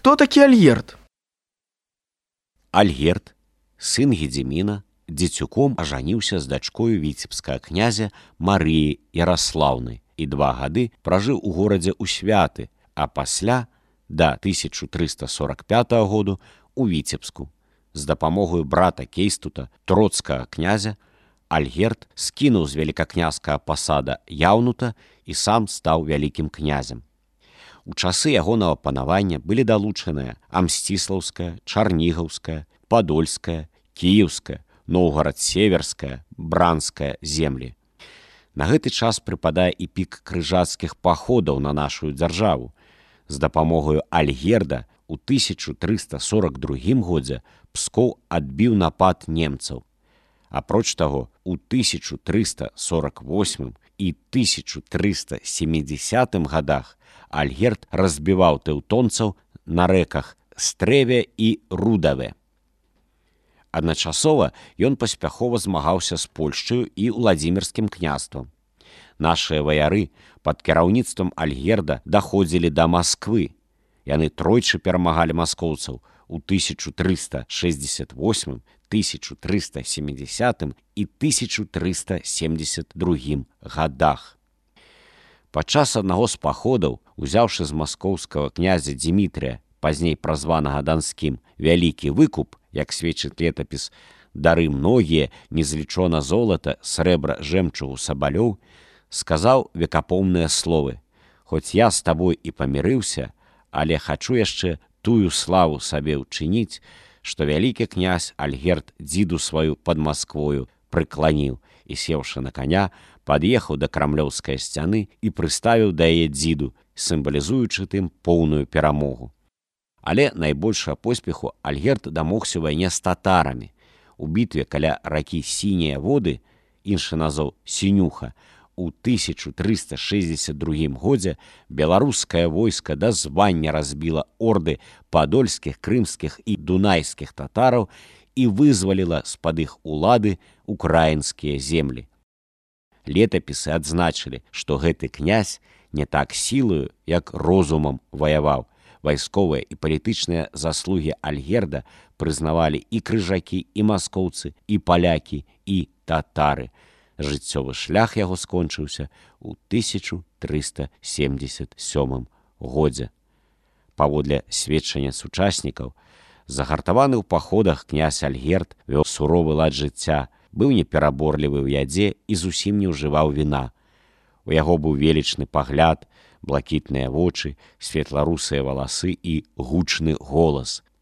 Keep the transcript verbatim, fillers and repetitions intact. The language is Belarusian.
Хто такі Альгерд? Альгерд, сын Гедзіміна, дзецюком ажаніўся з дачкою віцебскага князя Марыі Яраслаўны і два гады пражыў у горадзе ў Святы, а пасля, да тысяча трыста сорок пятага году, у Віцебску. З дапамогою брата Кейстута, троцкага князя, Альгерд скінуў з велікакняскага пасада Яўнута і сам стаў вялікім князем. У часы ягонага панавання былі далучаныя Амсціслаўская, Чарнігаўская, Падольская, Кіеўская, Новгарад-Северская, Бранская землі. На гэты час прыпадае і пік крыжацкіх паходаў на нашу дзяржаву. З дапамогаю Альгерда у тысяча трыста сорок другім годзе Пскоў адбіў напад немцаў. Апроч таго, у тысяча трыста сорок восьмым і тысяча трыста сямідзясятым гадах Альгерд разбіваў тэўтонцаў на рэках Стрэве і Рудаве. Адначасова ён паспяхова змагаўся з Польшчаю і Уладзімірскім княствам. Нашыя ваяры пад кіраўніцтвам Альгерда даходзілі да Масквы. Яны тройчы перамагалі маскоўцаў у тысяча трыста шэсцьдзесят восьмым, тысяча трыста сямідзясятым і тысяча трыста семдзесят другім гадах. Падчас аднаго з паходаў, узяўшы з маскоўскага князя Дзімітрыя, пазней празванага Данскім, вялікі выкуп, як сведчыць летапіс, дары многія, незлічона золата, срэбра, жэмчугу, сабалёў, сказаў векапомныя словы: «Хоць я з табой і памірыўся, але хачу яшчэ тую славу сабе ўчыніць, што вялікі князь Альгерд дзіду сваю пад Масквою прыкланіў і, сеўшы на каня, пад'ехаў да крамлёўскай сцяны і прыставіў да яе дзіду, сімвалізуючы тым поўную перамогу». Але найбольшага поспеху Альгерд дамогся ў вайне з татарамі. У бітве каля ракі Сінія воды, іншы назоў Сінюха, у тысяча трыста шэсцьдзесят другім годзе беларускае войска да звання разбіла орды падольскіх, крымскіх і дунайскіх татараў і вызваліла з-пад іх улады украінскія землі. Летапісы адзначылі, што гэты князь не так сілаю, як розумам ваяваў. Вайсковыя і палітычныя заслугі Альгерда прызнавалі і крыжакі, і маскоўцы, і палякі, і татары. Жыццёвы шлях яго скончыўся ў тысяча трыста семдзесят сёмым годзе. Паводле сведчання сучаснікаў, загартаваны ў паходах князь Альгерд вёў суровы лад жыцця, быў непераборлівы ў ядзе і зусім не ўжываў віна. У яго быў велічны пагляд, блакітныя вочы, светла-русыя валасы і гучны голас.